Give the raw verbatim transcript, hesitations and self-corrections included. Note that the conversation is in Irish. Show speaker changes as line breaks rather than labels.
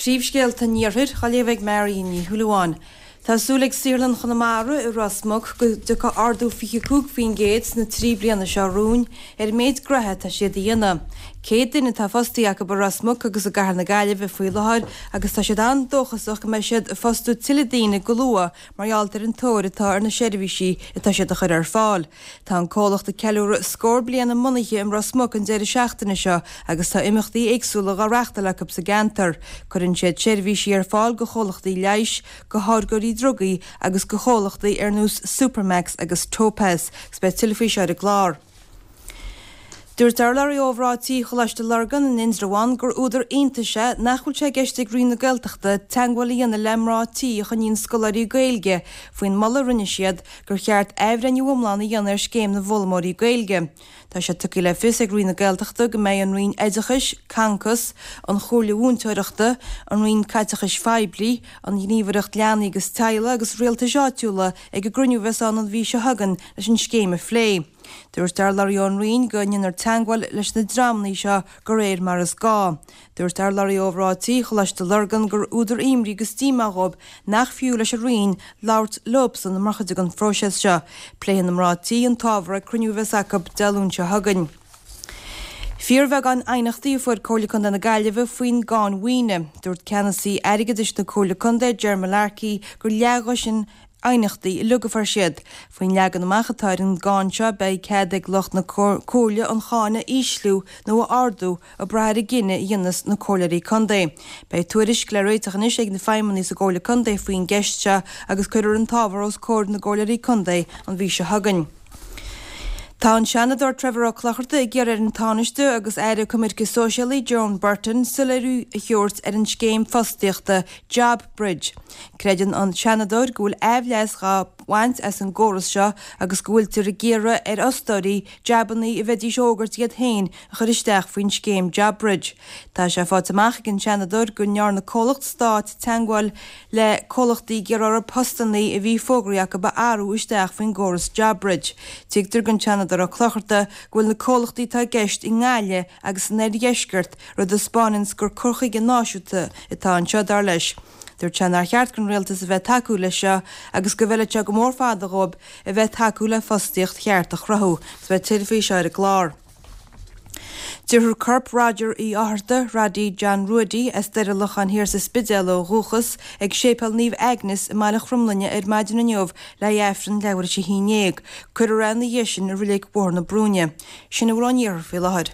Príomhscéalta an Iarthair á léamh ag Mary Ní Shúilleabháin. Tá súil ag Saotharlann Chonamara i Ros Muc go dtiocfaidh ardú fiche cúig faoin gcéad sna trí bliana seo romhainn ar an méid gnoithe atá siad a dhéanamh. Céad duine atá fostaithe acu i Ros Muc agus i gCathair na Gaillimhe faoi láthair agus tá siad an-dóchasach go mbeidh siad ag fostú tuilleadh daoine go luath mar gheall ar an tóir atá ar na seirbhísí atá siad a chur ar fáil. Tá an comhlacht ag ceiliúradh scór bliain a mbunaithe i Ros Muc an deireadh seachtaine seo agus tá imeachtaí éagsúla á reáchtáil acu sa gceantar. Cuireann siad seirbhísí ar fáil go chomhlachtaí leighis, go tháirgeoirí drugaí agus go chomhlachtaí ar nós Supermax agus Topaz, agus beidh tuilleadh faoi seo ar an gclár. Dúirt urlabhraí ó Mhná Tí Choláiste Lurgan in Indreabhán gur údar iontais é nach bhfuil sé i gceist ag Roinn na Gaeltachta teagmháil a dhéanamh le mná tí a choinníonn scoláirí Gaeilge faoin moladh a rinne siad gur cheart athbhreithniú iomlán a dhéanamh ar scéim na bhfoghlaimeoirí Gaeilge. Tá sé tugtha le fios ag Roinn na Gaeltachta go mbeidh an Roinn Oideachais, Concos, an Chomhairle Mhúinteoireachta, an Roinn Caiteachais Phoiblí, an Ghníomhaireacht Leanaí agus Teaghlaigh agus Rialtais Áitiúla ag an gcruinniú a bheas ann an mhí seo chugainn leis an scéim a phlé. Dúirt urlabhraí ón Roinn go ndéanfar teagmháil leis na dreamanna seo de réir mar is gá. Dúirt urlabhraí ó Mhná Tí Choláiste Lurgan gur údar imní agus díomá dhóibh nach fiú leis an Roinn labhairt leobsan mar chuid den phróiseas seo. Pléifidh na mná tí an t-ábhar ag cruinniú a bheas acu Dé Luain seo chugainn. Fíorbheagán aighneachtaí a fuair Comhairle Contae na Gaillimhe faoin gcáin mhaoine. Dúirt ceannasaí airgeadais na Comhairle Contae, Ger Mullarkey, gur leathdhosaen aighneachtaí uilig a fuair siad. Faoin leagan amach atá ar an gcáin seo beidh cead ag lucht na Comhairle an cháin a ísliú nó a ardú ag brath ar an gcinneadh a dhéanfas na comhairleoirí contae. Beidh tuairisc le réiteach anois ag na feidhmeannaigh sa gComhairle Contae faoin gceist seo agus cuirfear an t-ábhar os comhair na gcomhairleoirí contae an mhí seo chugainn. Tá an Seanadóir Trevor Ó Clochartaigh ag iarraidh ar an Tánaiste agus Aire Coimirce Sóisialaí Joan Burton soiléiriú a thabhairt ar an scéim fostaíochta Job Bridge. Creideann an Seanadóir go bhfuil aimhleas dhá bhaint as an gcóras seo agus go bhfuiltear ag iarraidh ar fhostóirí jabannaí a bheidís ag fógairt iad féin a chur isteach faoin scéim Job Bridge. Tá sé faighte amach ag an Seanadóir go ndearna comhlacht stáit teagmháil le comhlachtaí ag iarraidh orthu postannaí a bhí fógraithe acu a athrú isteach faoin gcóras Job Bridge. Tuigtear don Seanadóir Ó Clochartaigh go bhfuil na comhlachtaí atá i gceist i nGaillimh agus san oirdheisceart, rud a spáineanns gur cur chuige náisiúnta atá anseo, dar leis. Dúirt sé nár cheart don rialtas a bheith ag tacú leis seo agus go bhfeilfeadh sé go mór fada dhóibh a bheith ag tacú le fostaíocht cheart a chruthú. Agus beidh tuilleadh faoi seo ar an gclár. Tabharfar corp Roger Uí Fhátharta, Roddy John Ruaidy, as Doire Locháin Thiar sa Spidéal ó dhúchas, ag Séipéal Naomh Agnes i mBaile Chromghlinne ar maidin inniu le haghaidh Aifreann leathuair tar éis a haon déag. Cuirfear é ina dhiaidh sin i Reilig Bhóthar na Brúinne. Sin a bhfuil ón iarthar faoi láthair.